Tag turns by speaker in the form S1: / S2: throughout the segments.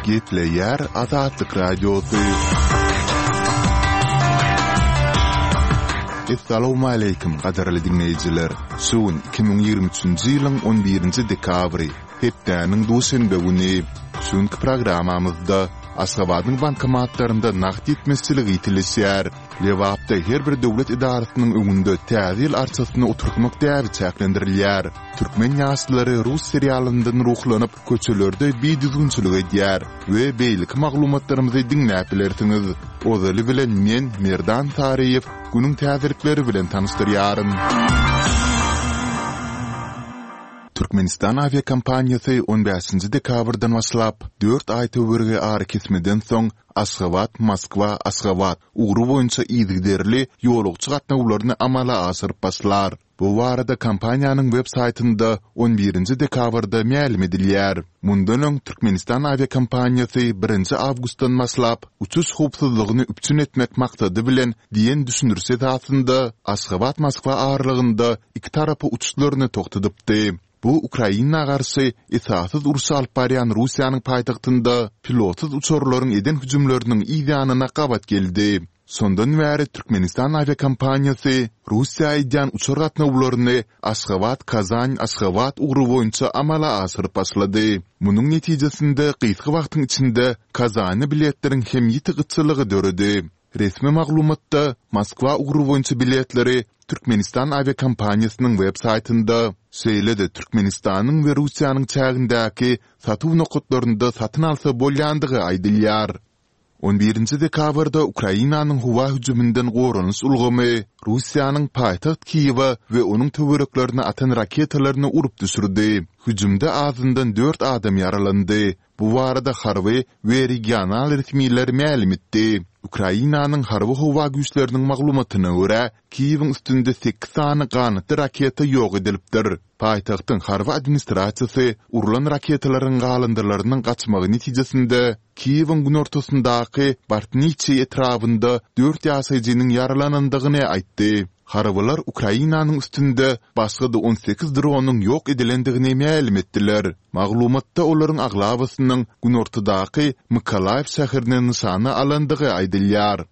S1: Gepleýär Azatlyk Radiosy. Essalawmaleýkim, gadyrly diňleýjiler! Şu gün 2023-nji ýylyň on birinji dekabry, hepdäniň duşenbe güni. Şu günki programmamyzda Aşgabadyň bankomatlarynda nagt ýetmezçiligi ýitileşýär. Lebapda her bir döwlet edarasynyň öňünde Täze ýyl arçasyny oturtmak däbi çäklendirilýär. Türkmen ýaşlary rus serialyndan ruhlanyp, köçelerde bidüzgünçilik edýär we beýleki maglumatlarymyzy diňläp bilersiňiz. Ozaly bilen men, Merdan Saryýew, günüň täzelikleri bilen tanyşdyrýaryn. Türkmenistan awiakompaniýasy on bäşinji dekabrdan başlap, dört aý töweregi arakesmeden soň Aşgabat, Moskwa, Aşgabat ugry boýunça yzygiderli ýolagçy gatnawlaryny amala aşyryp başlar. Bu barada kompaniýanyň web saýtynda on birinji dekabrda mälim edilýär. Mundan öň Türkmenistan awiakompaniýasy birinji awgustdan başlap, uçuş howpsuzlygyny üpjün etmek maksady bilen diýen düşündiriş esasynda Aşgabat-Moskwa aralygynda iki tarapa uçuşlaryny togtadypdy. Bu Ukraina garşy esassyz urşy alyp barýan Russiýanyň paýtagtynda pilotsyz uçarlaryň eden hüjümleriniň yz ýanyna gabat geldi. Şondan bäri Türkmenistan awiakompaniýasy Russiýa edýän uçar gatnawlaryny Aşgabat-Kazan-Aşgabat ugry boýunça amala aşyryp başlady. Munuň netijesinde gysga wagtyň içinde Kazana biletleriň hem ýiti gytçylygy döredi. Resmi maglumatda Moskwa ugry boýunça biletleri Türkmenistan awiakompaniýasynyň web saýtynda, şeýle-de Türkmenistanyň we Russiýanyň çägindäki satuw nokatlarynda satyn alsa bolýandygy aýdylýar. On birinji dekabrda Ukrainanyň howa hüjüminden goranyş ulgamy Russiýanyň paýtagt Kiýewe we onuň töwereklerine atan raketalaryny urup düşürdi. Hüjümde azyndan dört adam ýaralandy. Bu barada harby we regional resmiler mälim etdi. Ukrainanyň Harby-howa güýçleriniň maglumatyna görä, Kiýewiň üstünde sekiz sany ganatly raketa ýok edilipdir. Paýtagtyň harby administrasiýasy urlan raketalaryň galyndylarynyň gaçmagy netijesinde Kiýewiň günortasyndaky Bartniçi etrabynda dört ýaşaýjynyň ýaralanandygyny aýtdy. Harbylar Ukrainanyň üstünde başga-da on sekiz dronyň ýok edilendigini mälim etdiler. Maglumatda olaryň aglabasynyň günortadaky Mykolaýiw şäherini nyşana alandygy aýdylýar.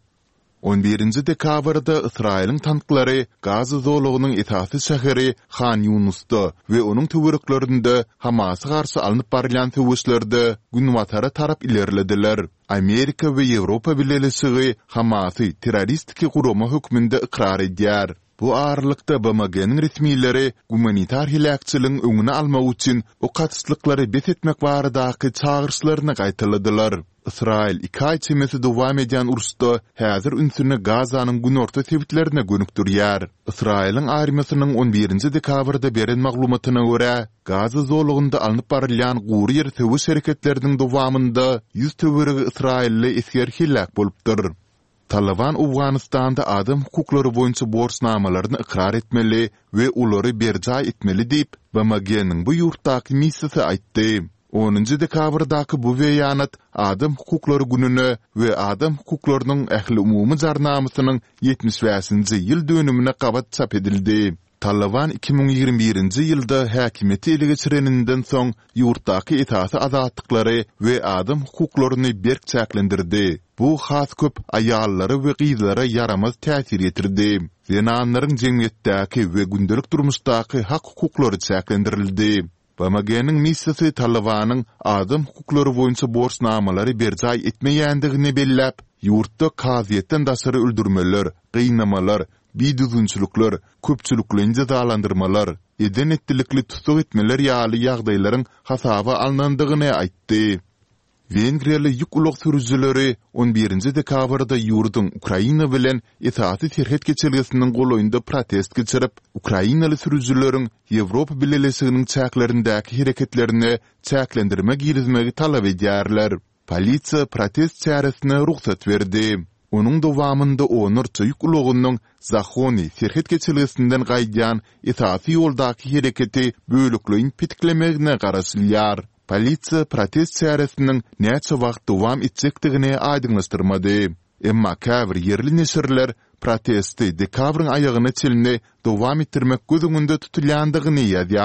S1: On birinji dekabrda Ysraýylyň tanklary Gaza zolagynyň esasy şäheri Han Ýunusda we onuň töwereklerinde Hamasa garşy alnyp barylýan söweşlerde günbatara tarap ilerlediler. Amerika we Ýewropa Bileleşigi Hamasy terroristiki gurama hökmünde ykrar edýär. Bu aralykda, BMG-niň resmileri gumanitar heläkçiligiň öňüni almak üçin ok atyşlyklary bes etmek baradaky çagyryşlaryny gaýtaladylar. Ysraýyl iki aý çemesi dowam edýän uruşda häzir ünsüni Gazanyň günorta sebitlerine gönükdirýär. Ysraýylyň armiýasynyň on birinji dekabrda beren maglumatyna görä, Gaza zolagynda alnyp barylýan gury ýer söweş hereketleriniň dowamynda ýüz töweregi ysraýylly esger heläk bolupdyr. Talyban Owganystanda adam hukuklary boýunça borçnamalaryny ykrar etmeli we olary berjaý etmeli diýip, BMG-niň bu ýurtdaky missiýasy aýtdy. Onunjy dekabrdaky bu beýanat Adam hukuklary gününe we Adam hukuklarynyň ähliumumy jarnamasynyň 75-nji ýyl dönümine gabat çap edildi. Talyban 2021-nji ýylda häkimiýeti ele geçireninden soň ýurtdaky esasy azatlyklary we adam hukuklaryny berk çäklendirdi. Bu has köp aýallara we gyzlara ýaramaz täsir ýetirdi. Zenanlaryň jemgyýetdäki we gündelik durmuşdaky hak-hukuklary çäklendirildi. BMG-niň missiýasy Talybanyň adam hukuklary boýunça borçnamalary berjaý etmeýändigini belläp, ýurtda kazyýetden daşary öldürmeler, gynamalar, bidüzgünçilikler, köpçülikleýin jezalandyrmalar, eden-etdilikli tussag etmeler ýaly ýagdaýlaryň hasaba alnandygyny aýtdy. Wengriýaly ýük ulag sürüjileri on birinji dekabrda ýurduň Ukraina bilen esasy serhet geçelgesiniň golaýynda protest geçirip, ukrainaly sürüjileriň Ýewropa Bileleşiginiň çäklerindäki hereketlerine çäklendirme girizmegi talap edýärler. Polisiýa protest çäresine rugsat berdi. Onuň dowamynda onlarça ýük ulagynyň Zahony serhet geçelgesinden gaýdýan esasy ýoldaky hereketi bölekleýin petiklemegine garaşylýar. Polisiýa protest çäresiniň näçe wagt dowam etjekdigini aýdyňlaşdyrmady. Emma käbir ýerli neşirler protesti dekabryň aýagyna çenli dowam etdirmek göz öňünde tutulýandygyny ýazýar.